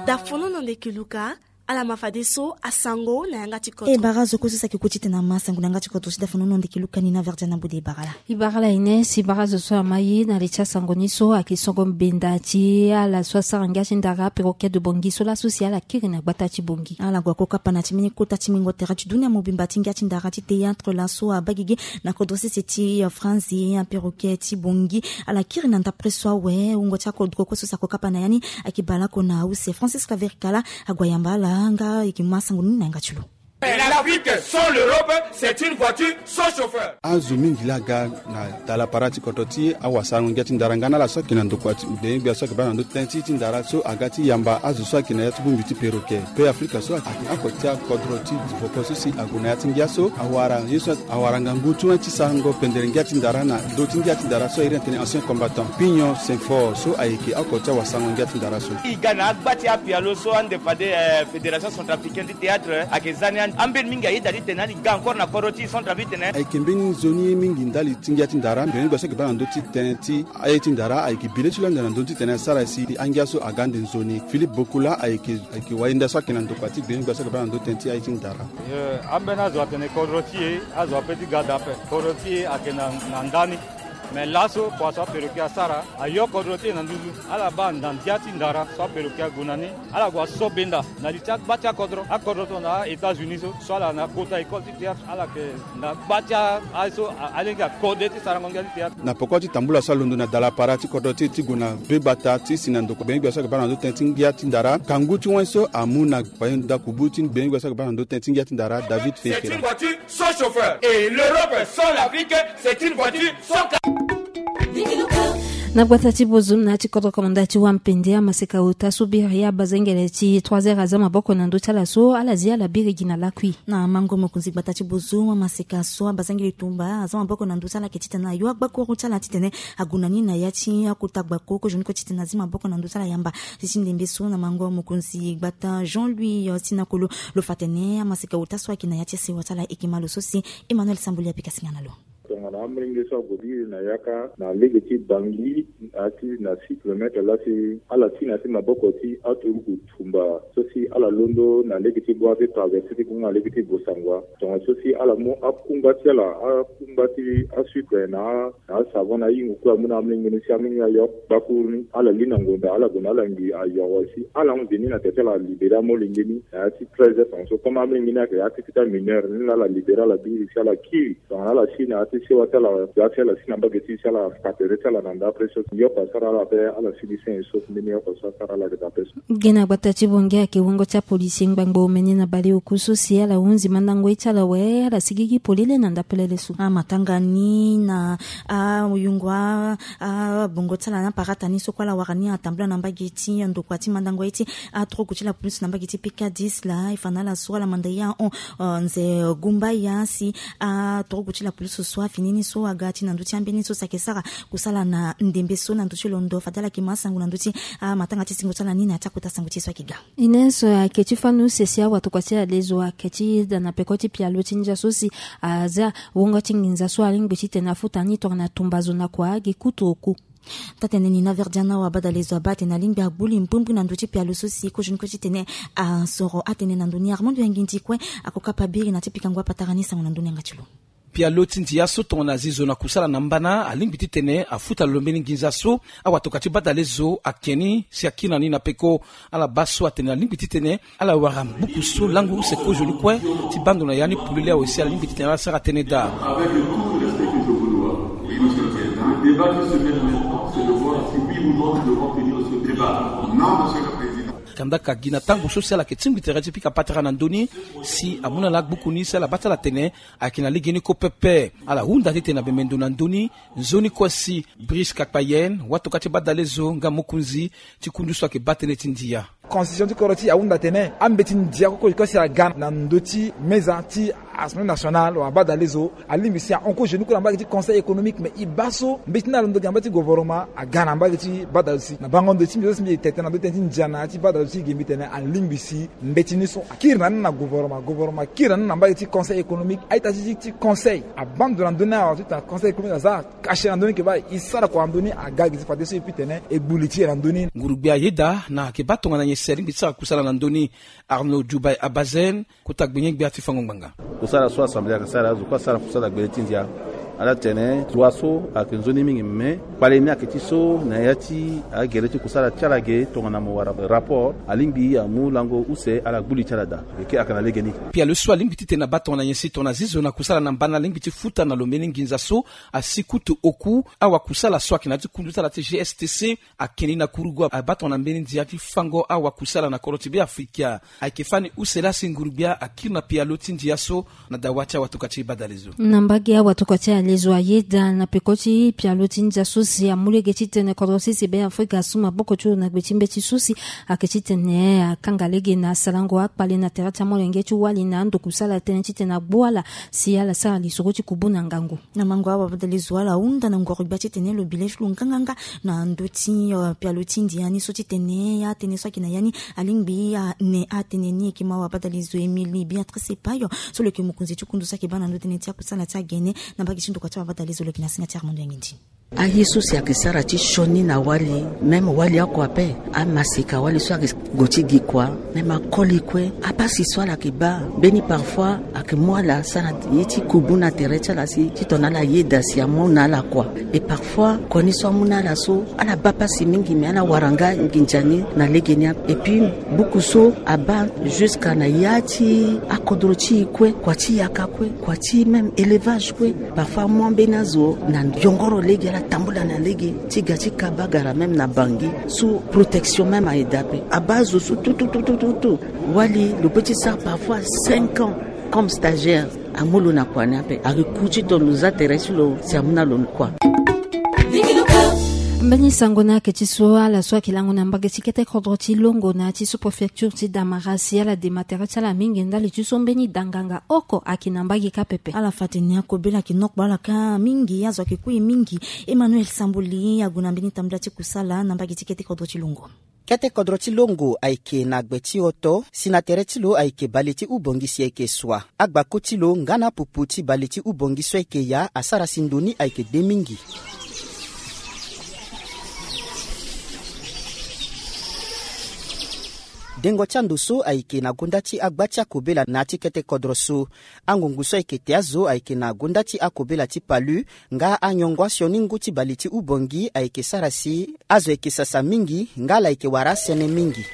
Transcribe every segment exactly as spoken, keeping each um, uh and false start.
Dafonono ndeke Luka. Ala ma fadeso asango na yanga ti koto. E bara zo kue so saki ko titene amasango na yanga ti koto si dafonono ndeke Luka ni na verdia na bude e bara la. E bara la ine si bara zo so ama ye na li ti asango ni so ayeke songo mbenda ti ala so asara ngia ti ndara perroquet de Bangui so laso si ala kiri na gbata ti Bangui. Ala gue kue kapa na ti mbeni kota ti mingo tere ti dunia mobimba ti ngia ti ndara ti théâtre laso abaa gigi na kodro sese ti France. Aperroquet ti Bangui ala kiri na ndapre so awe wungo ti akodro kue so sako kapa na ya ni. Ayeke bale oko na use Francis Kaverikala ague ayamba ala nga ayeke ma sango ni na yanga ti lo. L'Afrique sans l'Europe, c'est une voiture sans chauffeur. Azo mingi laa aga na dala para ti kodro ti awasarango ngia ti ndara nga na ala so ayeke na ndokua ti gbenyogbia so ayeke baa na ndö ti tënë ti ti ndara so aga ti yamba azo so ayeke na ya ti bongbi ti perroquet pe Afrika so ayeke oko ti akodro ti voko so si ague na ya ti ngia so awara ye so awara ngangu ti wani ti sarango pendere ngia ti ndara na ndö ti ngia ti ndara so a iri atene ancien combattant Pignon Saint-Fort so ayeke oko ti awasarango ngia ti ndara so. E ga na agba ti apialo so ande fade eh, fédération centrafricaine ti théâtre eh, ayeke za ni ande ambeni mingi ayeda ti tene ani ga encore na kodro ti centrafrique tene. Ayeke mbeni nzoni mingi ndali ti ngia ti ndara mbi na ni gba so ayeke baa na ndö ti tënë ti aye ti ndara ayeke bi le ti lo ande na ndö ti tene asara si angia so aga ande nzoni. Philippe Bokula ayeke ayeke wayenda so ayeke na ndokua ti gbenyogbia so ayeke baa na ndö ti tënë ti aye ti ndara. Ambeni azo atene kodro ti e azo ape ti ga daa ape. Kodro ti e ayeke na ndani. Me laso kua so aperroquet asara ayo kodro ti e na nduzu. Ala baa na ndia ti ndara so aperroquet ague na ni. Ala gue aso benda na li ti agba ti akodro akodro tongana a-États-Unis so so ala na kota école ti théâtre ala yeke na gba ti aye so alingbi akode ti sarango ngia ti théâtre. Na poko ti tambula so alondo na dala para ti kodro ti e ti gue na be gbata ti si na ndokua gbenyogbia so ayeke baa na ndö ti tënë ti ngia ti ndara kangu ti wani so amu na kpaye ndaku bu ti gbenyogbia so ayeke baa na ndö ti tënë ti ngia ti ndara David Fekera. Sans chauffeur. Et l'Europe sans l'Afrique, c'est une voiture sans carburant. Na gbata ti Bozoum na ya ti kodro komanda ti Wampende amaseka ota so biri abazengele ti trois heures aza maboko na ndö ti ala so ala zi ala biri gi na lakui. Na mango mokonzi gbata ti Bozoum amaseka so abazengele tumba aza maboko na ndö ti ala ayeke titene ayo agbakuru ti ala titene ague na ni na ya ti akota gbako kozoni kue titene azi maboko na ndö ti ala yamba. Ti ti ndembe so na mango mokonzi gbata Jean Louis Sinakolo lo fa atene amaseka ota so ayeke na ya ti sewa ti ala e yeke ma lo so si Emmanuel Samboli apika singa na lo. Tongana amolenge so ague biri na yaka na lege ti Bangui na ya ti na six kilomètre laa si ala ti na ya ti maboko ti aturuku tumba so si ala londo na lege ti Boabe traverse ti gunga na lege ti Bosangua tongana so si ala mu akungba ti ala akungba ti asucre na na asavon na ahingo kue amu na amolenge ni si amolenge ni ayo gbakuru ni ala li na ngonda ala gue na ala ngi ayo awe si ala hon veni na tere ti ala alibere amolenge ni na ya ti treize heures tonga so comme amolenge ni ayeke ya ti ti amineur ni laa ala libere ala biri si ala kiri tongana ala si na ya ti sewa ti ala ya ti ala si na mbage ti si ala fa tere ti ala na ndapre so yoko asara ala ape ala sigi senge so mbeni yoko so asara ala ayeke daa ape so. Gi na gbata ti Bangui ayeke wungo ti apolisi ngbangbo omene na baleoku so si ala hunzi mandango ye ti ala awe ala sigigi polele na ndapelele so. Amatanga ni na ayungo abongo ti ala na parata ni so kue ala wara ni atambula na mbage ti ndokua ti mandango ye ti aturuku ti la polisi na mbage ti P K dix laa e fa na ala so ala manda ye ahon nze gumba ya si aturuku ti la polisi so afini ni so aga ti na ndö ti ambeni so si ayeke sara kusala na ndembe so na ndö ti londo fade ala yeke ma asango na ndö ti amatanga ti singo ti ala ni na ya ti akota sango ti e so ayeke ga. Ines ayeke ti fani use si awatokua ti alezo ayeke ti da na peko ti pialo ti ndia so si aza wungo ti nginza so alingbi titene afuta ni tongana tumba zo na kua agi kutu oku. Taa-tene Nina Verdiana wabadalezo abaa atene alingbi agbu li mbrimbri na ndö ti pialo so si kozoni kue titene asoro atene na ndö ni Armando Yangindi kue ako kapa biri na ti pikango apatara ni sango na ndö ni yanga ti lo. Pialo ti ndia so tongana azi zo na kusala na mbana alingbi titene afuta lo mbeni nginza so awatokua ti badalezo ake ni si akiri na ni na peko. Ala baa so atene alingbi titene ala wara buku so lango use kozoni kue ti baa ndo na ya ni polele awe si alingbi titene ala sara tënë daa. Avec tout le respect que je vous dois, oui, monsieur le président, le débat qui se mène maintenant, c'est de voir si oui ou non nous devons tenir ce débat. Non, monsieur le président. Kandaka gi na tango so si ala yeke tingbi tere ti pika patara na ndö ni si amu na ala agbuku ni si ala baa ti ala tene ayeke na legeni kue pepe. Ala hunda titene na bembe ndo na ndö ni nzoni kue si Brice Kakpayen watokua ti badalezo nga mokonzi ti kundu so ayeke baa tënë ti ndia. Constitution ti kodro ti e ahunda atene ambeti ndia kue kue si aga na ndö ti meza ti Assemblée nationale wala badalezo alingbi si ahon ko genou kue na mbage ti conseil économique, mais e baa so mbeti ni alondo gi na mbage ti gouvernement aga na mbage ti badalezo si na bango ndo ti mbi so si mbi e tete na ndo tënë ti ndia na ya ti badalezo ti ge mbi tene alingbi si mbeti ni so akiri na ni na gouvernement, gouvernement akiri na ni na mbage ti conseil économique. A-ita ti ti conseil abaa ndo na ndö ni awa ti tena conseil économique aza kashe na ndö ni ke baa e sara kua na ndö ni aga gi ti fadeso e pi tene e gbu li ti e na ndö ni. Nguru-gbia ayeda na ayeke baa tongana nyen si alingbi ti sara kusala na ndö ni. Arnaud Djoubaye Abazen, kota gbenye-gbia ti fango ngbanga. Kusala so assemblée ayeke sara azo kue asara kusala gbele ti ndia. Ala tene droit so ayeke nzoni mingi, mais kpale ni ayeke ti so na ya ti agere ti kusala ti ala ge tongana mo wara rapport alingbi amu lango use ala gbu li ti ala daa. Eke ayeke na legeni. Pialo so alingbi titene abaa tongana nyen si tongana zizo na kusala na mbana alingbi ti futa na lo mbeni nginza so asi kutu oku awakusala so ayeke na ya ti kundu ti ala ti G S T C. Akeni na kurugu abaa tongana mbeni ndia ti fango awakusala na kodro ti Beafrika. Ayeke fani use laa si nguru-gbia akiri na pialo ti ndia so na dawa ti awatokua ti badalezo. Na mbage awatokua ti alezo ayeda na peko ti pialo ti ndia so si amu lege titene kodro sese Beafrika asu maboko ti lo na gbe ti mbeti so si ayeke titene akanga lege na asalango akpale na tere ti amolenge ti wali na ando kusala tënë titene agbu ala si ala sara lisoro ti kubu na ngangu. Na mango awa badalezo ala hunda na ngoro-gbia titene lo bi le ti lo nganganga na ndö ti pialo ti ndia ni so titene atënë so ayeke na ya ni alingbi ane atënë ni. Eke ma awa badalezo Émilie Béatrice Epayo so lo yeke mokonzi ti kundu so ayeke baa na ndö tënë ti akusala ti agene na mbage ti ndokua ti awa badalezo lo yeke na singa ti Armando Yangindi. Aye so si ayeke sara ti sioni na wali, même wali oko ape, amaseka wali so ayeke gue ti gi kua, même akoli kue, apasi so ala yeke baa mbeni parfois ayeke mu ala sara ye ti kubu na tere ti ala si titene ala yeda si amu na ala kua. Et parfois kua ni so amu na ala so ala baa pasi mingi, mais ala wara nga nginza ni na legeni ape. Et puis buku so abaa jusqu'à na ya ti akodro ti e kue, kua ti yaka kue, kua ti même élevage kue. Parfois amu ambeni azo na yongoro lege, ala tambula na lege ti ga ti kabagara même na Bangui sous protection même aye daa ape. Abaa azo so tout tout tout tout tout wali lo peut ti sara parfois cinq ans comme stagiaire. Amu lo na kua ni ape, ayeke ku titene lo za tere ti lo si amu na lo kua. Mbeni sango ni ayeke ti so ala so ayeke lango na mbage ti kete kodro ti Longo na ya ti sous-préfecture ti Damara si ala dema tere ti ala mingi ndali ti so mbeni danganga oko ayeke na mbage kâ pepe. Ala fa atene akobela ayeke nokpo ala kâ mingi, azo ayeke ku e mingi. Emmanuel Samboli ague na mbeni tambula ti kusala na mbage ti kete kodro ti Longo. Kete kodro ti Longo ayeke na gbe ti hoto si na tere ti lo ayeke bale ti hubongi si ayeke sua. Agbako ti lo nga na apupu ti bale ti hubongi so ayeke ya asara si ndo ni ayeke de mingi. Dengo ti ando so ayeke na gonda ti agba ti akobela na ya ti kete kodro so. Angungu so ayeke te azo ayeke na gonda ti akobela ti palu nga anyongo asioni ngu ti bale ti hubongi ayeke sara si azo ayeke sasa mingi nga ala yeke wara asene mingi.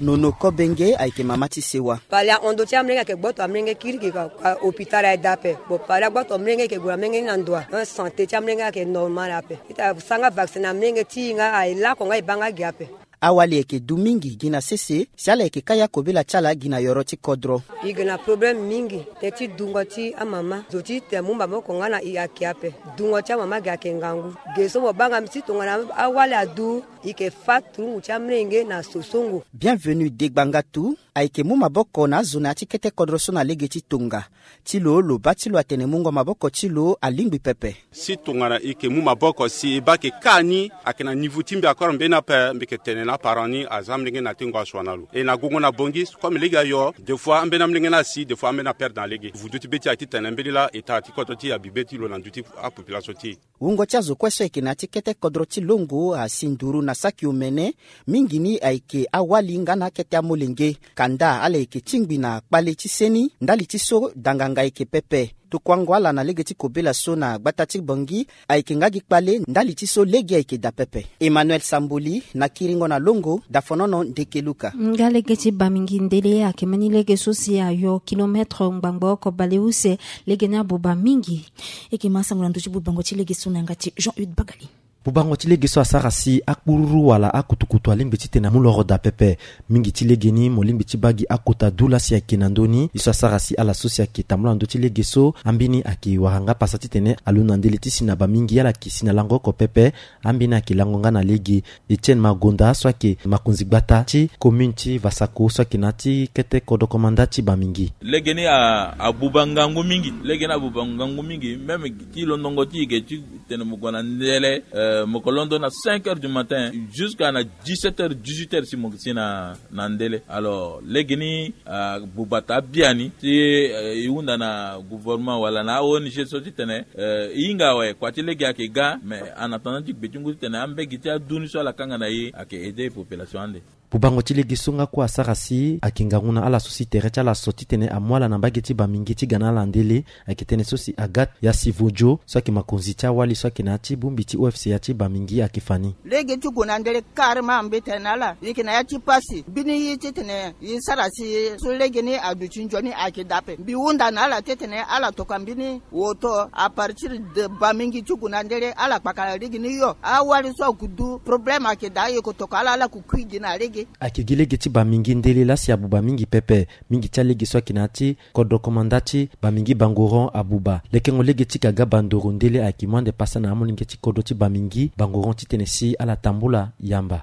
Nono Kobenge ayeke mama ti sewa. Pale ahon ndo ti amolenge ayeke gboto amolenge kirikiri ka hôpital aye daa ape. Bon, pale agboto amolenge ayeke gue na molenge ni na ndo a, santé ti amolenge ayeke normal ape. Ita sara nga vaccin na amolenge ti e nga aye lako nga e baa nga gi ape. Awali ayeke du mingi gi na sese si ala yeke kâ ya kobela ti ala gi na yoro ti kodro. E yeke na problème mingi tënë ti dungo ti amama. Zo ti tene amu maboko nga na e ayeke ape. Dungo ti amama gi ayeke ngangu. Ge so mo baa nga mbi ti tongana awali adu, e yeke fâ turungu ti amolenge na sosongo. Bienvenu Degbangatu ayeke mu maboko na azo na ya ti kete kodro so na lege ti tonga. Ti lo, lo baa ti lo atene mungo maboko ti lo alingbi pepe. Si tongana e yeke mu maboko si e baa ayeke kâ ni ayeke na niveau ti mbi encore mbeni ape, mbi yeke tene na aparent ni aza amolenge na tengo asua na lo. E na gongo na Bangui comme lege ayo, des fois ambeni amolenge ni asi, des fois ambeni aperdre na lege. Vundu ti be ti e ayeke titene mbeni laa e tara ti kodro ti e abi be ti lo na ndö ti apopulation ti e. Wungo ti azo kue so ayeke na ya ti kete kodro ti Longo asi nduru na saki omene. Mingi ni ayeke awali nga na akete amolenge. Kanda ala yeke tingbi na kpale ti seni ndali ti so danganga ayeke pepe. Tokuango ala na lege ti kobela so na gbata ti Bangui ayeke nga gi kpale ndali ti so lege ayeke daa pepe. Emmanuel Samboli na kiringo na Longo, Dafonono Ndekeluka. Nga lege ti Bamingi Ndele ayeke mbeni lege so si ayo kilomètre ngbangbo oko bale use. Lege ni abuba mingi. E yeke ma sango na ndö ti bubango ti lege so na yanga ti Jean Hude Bagali. Bubango ti lege so asara si akpururu wala akutukutu alingbi titene amu loro daa pepe. Mingi ti lege ni mo lingbi ti baa gi akota du laa si ayeke na ndö ni. Ye so asara si ala so si ayeke tambula na ndö ti lege so, ambeni ayeke wara nga pasa titene alondo na ndele ti si na bamingi ala yeke si na lango oko pepe. Ambeni ayeke lango nga na lege Etienne Magonda so ayeke makonzi gbata ti commune ti Vasako so ayeke na ya ti kete kodro komanda ti Bamingi. Lege ni a- abuba ngangu mingi. Lege ni abuba ngangu mingi, même ti londongo ti e ge ti tene mo gue na ndele, euh, mo ko londo na cinq heures du matin jusqu'à na dix-sept heures, dix-huit heures si mo si na, na ndele. Alors lege ni, euh, abuba taa biani si, euh, e hunda na gouvernement wala na a-O N G so titene, euh, e hinga awe, kua ti lege ayeke ga, mais en attendant ti gbe ti ngu titene ambegi ti adu ni so ala kanga na e ayeke aider population ande. Bubango ti lege so nga kue asara si ayeke ngangu na ala so si tere ti ala so titene amu ala na mbage ti Bamingi ti ga na ala ndele. Ayeke tënë so si Agathe Yasivodio so ayeke makonzi ti awali so ayeke na ya ti bongbi ti O F C ya ti Bamingi ayeke fa ni. Lege ti gue na ndele carrément mbi tene na ala, e yeke na ya ti pasi. Mbeni ye titene e sara si so lege ni aduti nzoni ayeke daa ape. Mbi hunda na ala titene ala tokua mbeni woto à partir de Bamingi ti gue na ndele, ala kpakara lege ni yo. Awali so ague du problème ayeke daa, e ko tokua ala, ala ko kui gi na lege. Ayeke gi lege ti Bamingi ndele laa si abuba mingi pepe. Mingi ti alege so ayeke na ya ti kodro komanda ti Bamingi Bangoron abuba. Lekengo lege ti Gaga Bandoro ndele ayeke mu ande pasa na amolenge ti kodro ti Bamingi Bangoron titene si ala tambula yamba.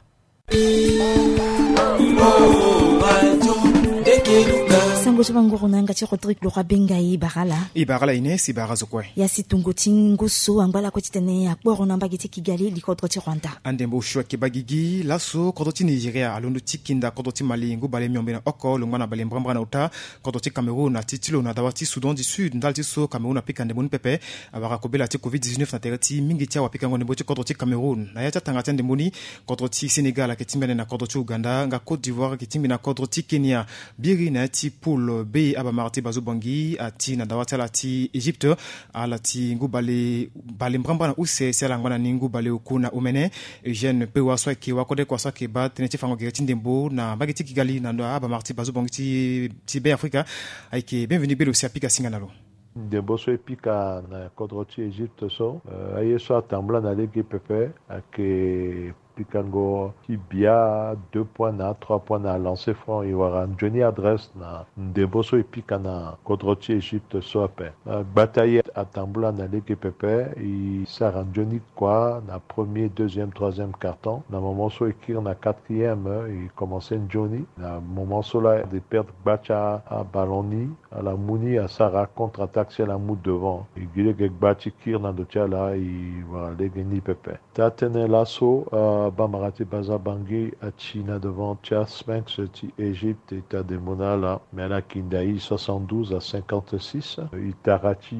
Sango ti Bangoron na yanga ti Rodrigue Laurent Benga, e bara ala. E bara ala Ines, e bara azo kue. Ya si tongo ti ngu so angba lakue titene akporo na mbage ti Kigali, li kodro ti Rwanda. Andembo osio ayeke baa gigi laso kodro ti Nigeria alondo ti kinda kodro ti Mali ngu bale miombe na oko longba na bale mbrambra na ota. Kodro ti Cameroun ati ti lo na dawa ti Soudan du Sud ndali ti so Cameroun apika ndembo ni pepe. Awara kobela ti covid dix-neuf na tere ti mingi ti awapikango ndembo ti kodro ti Cameroun. Na ya ti atanga ti andembo ni, kodro ti Sénégal ayeke tingbi ande na kodro ti Ouganda, nga Côte d'Ivoire ayeke tingbi na kodro ti Kenya. Biri na ya ti poule B, abamara ti Bazobangi ati na dawa ti ala ti Égypte. Ala ti ngu bale, bale mbrambra na use si ala ngba na ni ngu bale oku na omene. Eugène Pewa so ayeke wakode kua so ayeke baa tënë ti fango gere ti ndembo na mbage ti Kigali na ndo abamara ti Bazobangi ti, ti Be Afrika. Ayeke bienvenu belo si apika singa na lo. Ndembo so e pika na kodro ti Égypte so, euh, aye so atambula na lege pepe, ayeke pikango ti bia deux points na trois points na lancer franc. E wara nzoni adresse na ndembo so e pika na kodro ti Égypte so ape. Euh, gbata ye atambula na lege pepe, e sara nzoni kua na premier, deuxième, troisième carton. Na moment so e kiri na quatrième, e commencer nzoni. Na moment so laa e perdre gba ti aballon ni, ala mu ni asara contre-attaque si ala mu devant. E gi lege gba ti kiri na ndo ti ala, e wara lege ni pepe. Taa tënë laso, euh, abamara ti Bazobangi ati na devant ti aSphinx ti Égypte, e ta ndembo na ala, mais ala kinda e soixante-douze à cinquante-six. E tara ti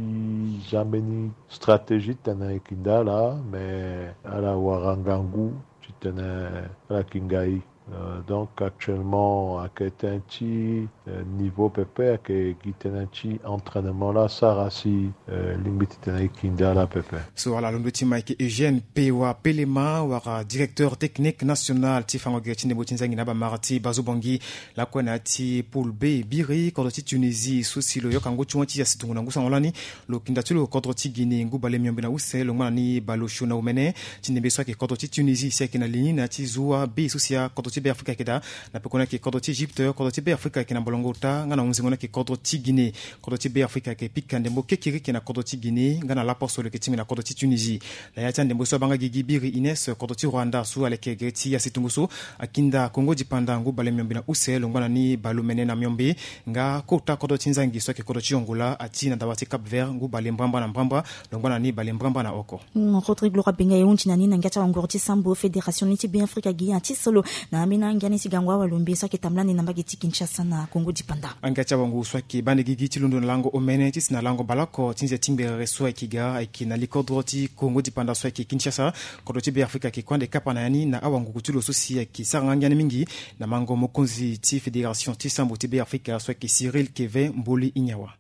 za mbeni stratégie titene e kinda ala, mais ala wara ngangu titene ala kinga e. Euh, donc actuellement ayeke tënë ti, euh, niveau pepe, ayeke gi tënë ti entraînement laa asara si, euh, e lingbi titene e kinda ala pepe. So ala londo ti ma ayeke Eugène Pewa Pelema, wara directeur technique national ti fango gere ti ndembo ti nzangi na abamara ti Bazobangi. Lakue na ya ti poule B, biri kodro ti Tunisie so si lo yoka ngu ti wan ti ya si tongo na ngu sango lani. Lo kinda ti lo kodro ti Guinée ngu bale miombe na use longba na ni bale osio na omene. Ti ndembe so ayeke kodro ti Tunisie si ayeke na li ni na ya ti zo abe so si akodro ti Be Afrika ayeke daa. Na pekoni ayeke kodro ti Égypte, kodro ti Be Afrika ayeke na molongo ota, nga na hunzingo ni ayeke kodro ti Guinée. Kodro ti Be Afrika ayeke pika ndembo kekereke na kodro ti Guinée nga na laposo lo yeke tingbi na kodro ti Tunisie. Na ya ti andembo so abaa nga gigi biri Ines, kodro ti Rwanda so aleke gere ti ya si tongo so akinda Congo Dipanda ngu bale miombe na use longba na ni bale omene na miombe. Nga kota kodro ti nzangi so ayeke kodro ti Angola ati na dawa ti Cap Vert ngu bale mbrambra na mbrambra longba na ni bale mbrambra na oko. Mm, Rodrigue Laurent Benga, e hunzi na ni na ngia ti awanguru ti sambo fédération ni ti Be Afrika gi ati so lo na ambeni angia ni ti gango awalombe so ayeke tambula ande na mbage ti Kinshasa na Congo Dipanda. Angia ti awanguru so ayeke baa ande gigi ti londo na lango omene ti si na lango baleoko ti nze ti ngberere so ayeke ga ayeke na likodro ti Congo Dipanda so ayeke Kinshasa. Kodro ti Be Afrika ayeke kue ande kapa na ya ni na awanguru ti lo so si ayeke sara nga ngia ni mingi na mango mokonzi ti fédération ti sambo ti Be Afrika so ayeke Cyril Kevin Mboli Inyawa.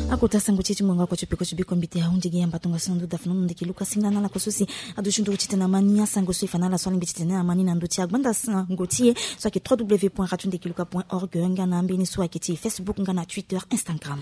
Akota sango ti e ti ngonga oko ti peko ti biko mbi te ahunzi gi yamba tongaso na ndo dafa na ndo ndeke luka singa na ala ko so si aduti nduru titene ama ni asango so e fa na ala so alingbi titene ama ni na ndo ti agbanda sango ti e so ayeke trois w point radio ndeke luka point org nga na ambeni so ayeke ti Facebook nga na Twitter, Instagram.